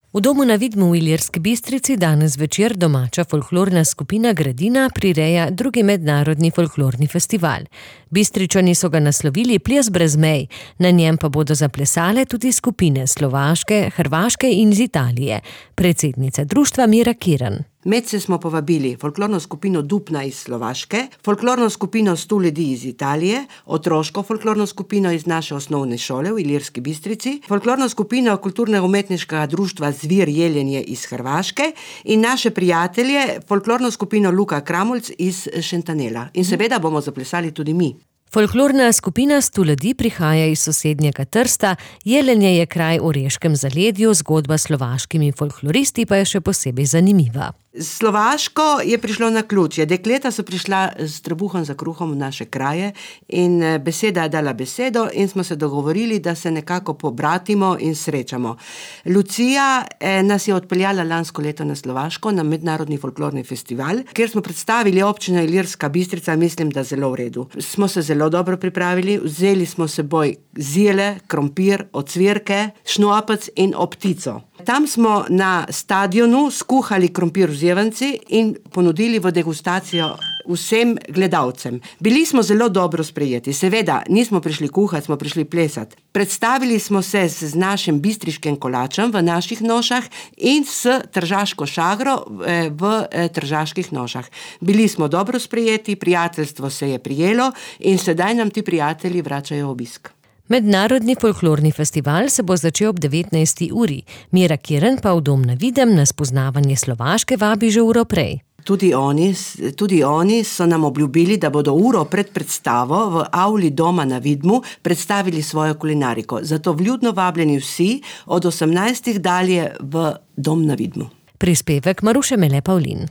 V domu na Vidmu v Ilirski Bistrici danes večer domača folklorna skupina Gradina prireja drugi mednarodni folklorni festival. Bistričani so ga naslovili Ples brez mej, na njem pa bodo zaplesale tudi skupine Slovaške, Hrvaške in iz Italije. Predsednica društva Mira Kirn. Medse smo povabili folklorno skupino Dupna iz Slovaške, folklorno skupino 100 ljudi iz Italije, otroško folklorno skupino iz naše osnovne šole v Ilirski Bistrici, folklorno skupino kulturno-umetniškega društva Zvir Jelenje iz Hrvaške in naše prijatelje, folklorno skupino Luka Kramulc iz Šentanela. In seveda bomo zaplesali tudi mi. Folklorna skupina 100 ljudi prihaja iz sosednjega Trsta, Jelenje je kraj v Oreškem zaledju, zgodba s slovaškimi folkloristi pa je še posebej zanimiva. Slovaško je prišlo na ključje. Dekleta so prišla s trebuhom za kruhom v naše kraje in beseda je dala besedo in smo se dogovorili, da se nekako pobratimo in srečamo. Lucija nas je odpeljala lansko leto na Slovaško na mednarodni folklorni festival, kjer smo predstavili občino Ilirska Bistrica, mislim, da zelo v redu. Smo se zelo dobro pripravili, vzeli smo s seboj zile, krompir, ocvirke, šnopec in optico. Tam smo na stadionu skuhali krompir v zjevanci in ponudili v degustacijo vsem gledalcem. Bili smo zelo dobro sprejeti. Seveda, nismo prišli kuhati, smo prišli plesati. Predstavili smo se z našim bistriškim kolačem v naših nošah in s tržaško šagro v tržaških nošah. Bili smo dobro sprejeti, prijateljstvo se je prijelo in sedaj nam ti prijatelji vračajo obisk. Mednarodni folklorni festival se bo začel ob 19. uri. Mira Kirn pa v dom na Videm na spoznavanje Slovaške vabi že uro prej. Tudi oni so nam obljubili, da bodo uro pred predstavo v avli doma na Vidmu predstavili svojo kulinariko. Zato vljudno vabljeni vsi od 18. dalje v dom na Vidmu. Prispevek Maruše Mele Pavlin.